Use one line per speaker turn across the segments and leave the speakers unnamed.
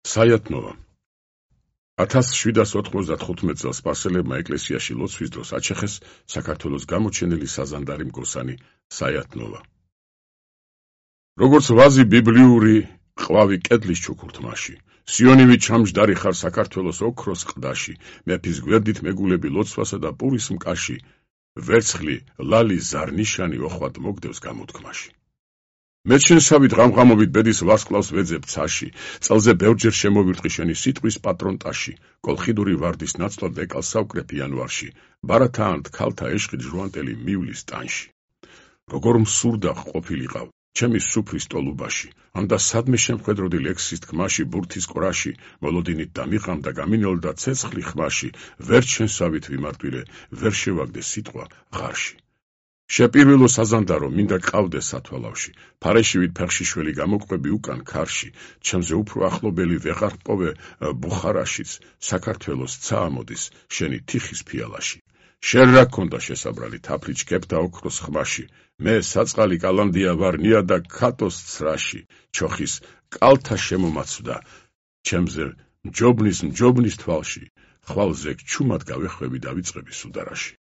საიათნოვა 1795 წელს სპარსელებმა ეკლესიაში ლოცვის დროს აჩეხეს საქართველოს გამოჩენილი საზანდარი მგოსანი საიათნოვა. როგორც ვაზი ბიბლიური ყვავი კედლის ჩუქურთმაში, სიონივი ჩამჯდარი ხარ საქართველოს ოქროს ყდაში, მეფის გვერდით მეგულები ლოცვასა და პურის მკაში, ვერცხლი ლალი ზარნიშანი ოხვად მოგდევს გამოთქმაში. მეჩენსავით ღამღამობით ბედის ვარსკვლავს ვეძებ ცაში, წელზე ბევრჯერ შემოვირტყი შენი სიტყვის პატრონტაში, კოლხიდური ვარდის ნაცვლად ეკალს ავკრებ იანვარში, ბარათაანთ ქალთა ეშხით ჟუანტელი მივლის ტანში. როგორ მსურდა ყოფილიყავ, ჩემი სუფრის ტოლუბაში, ამდა სადმე შემხედროდი ლექსის თქმაში, ბურთის ყრაში, მოლოდინით დამიყამ და გამინოლდა ცეცხლი ხმაში, ვერ ჩენსავით ვიმარტვილე, ვერ შევაგდე სიტყვა ღარში. შეპირვილო საზანდარო, მინდა ყავდეს სათვალავში, ფარეშივით ფეხშიშველი გამოკვები უკან ქარში, ჩემზე უფრო ახლობელი ვეღარ პოვე ბუხარაშიც, საქართველოს ცა ამოდის შენი თიხის ფიალაში. შენ რა გქონდა შესაბრალი თაფლი ჩქეფთა ოქროს ხმაში, მე საწყალი კალანდია ვარ ნიადაგ ქათოს ცრაში, ჩოხის კალთა შემომაცვდა ჩემზე მჯობნის თვალში, ხვალზე ჩუმად გავეხვევი და ვიწყები სუდარაში.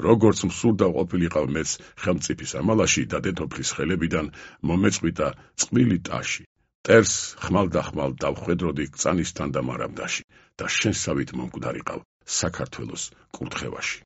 როგორც მსურდა ყოფილიყავ მეც ხელმწიფის ამალაში და დედოფლის ხელებიდან მომეწყვიტა წყვილი ტაში. ტერს ხმალ დავხვედროდი კწანისთან და მარამდაში და შენსავით მომკვდარიყავ საქართველოს კურთხევაში.